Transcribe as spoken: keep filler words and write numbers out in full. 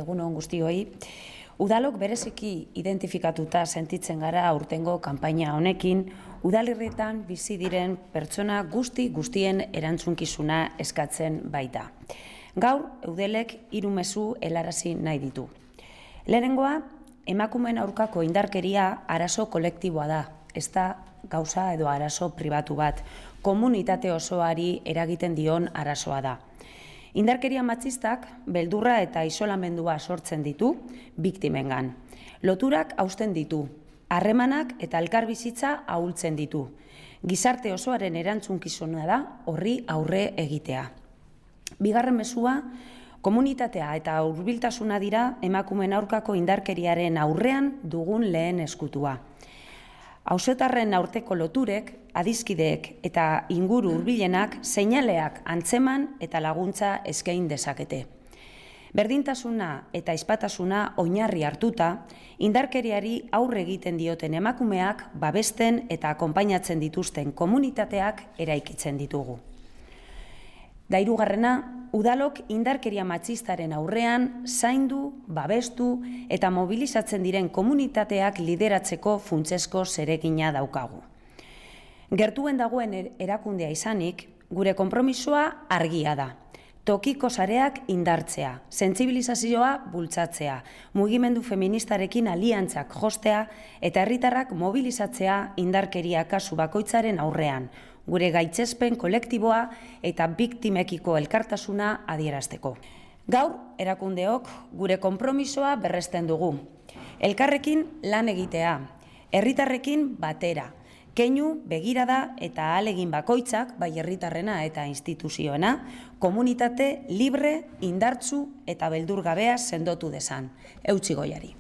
egun on guztioi. Udalok bereziki identifikatuta sentitzen gara aurtengo kanpaina honekin, udalerrietan bizi diren pertsona guzti guztien erantzunkizuna eskatzen baita. Gaur, Eudelek hiru mezu helarazi nahi ditu. Lehenengoa, emakumeen aurkako indarkeria arazo kolektiboa da, ez da gauza edo arazo pribatu bat, komunitate osoari eragiten dion arazoa da. Indarkeria matxistak beldurra eta isolamendua sortzen ditu biktimengan. Loturak hausten ditu, harremanak eta elkarbizitza ahultzen ditu. Gizarte osoaren erantzunkizuna da horri aurre egitea. Bigarren mezua, komunitatea eta hurbiltasuna dira emakumeen aurkako indarkeriaren aurrean dugun lehen eskutua. Auzotarren aurteko loturek, adiskideek eta inguru hurbilenak seinaleak antzeman eta laguntza eskain dezakete. Berdintasuna eta ezpatasuna oinarri hartuta, indarkeriari aurre egiten dioten emakumeak babesten eta akonpainatzen dituzten komunitateak eraikitzen ditugu. Da hirugarrena, udalok indarkeria matxistaren aurrean zaindu, babestu eta mobilizatzen diren komunitateak lideratzeko funtsezko zeregina daukagu. Gertuen dagoen erakundea izanik, gure konpromisoa argia da. Tokiko sareak indartzea, sentsibilizazioa bultzatzea, mugimendu feministarekin aliantzak jostea eta herritarrak mobilizatzea indarkeria kasu bakoitzaren aurrean, gure gaitzespen kolektiboa eta biktimekiko elkartasuna adierazteko. Gaur, erakundeok gure konpromisoa berresten dugu. Elkarrekin lan egitea, herritarrekin batera, keinu, begirada eta ahalegin bakoitzak, bai herritarrena eta instituzioena, komunitate libre, indartsu eta beldurgabea sendotu dezan. Eutsi goiari.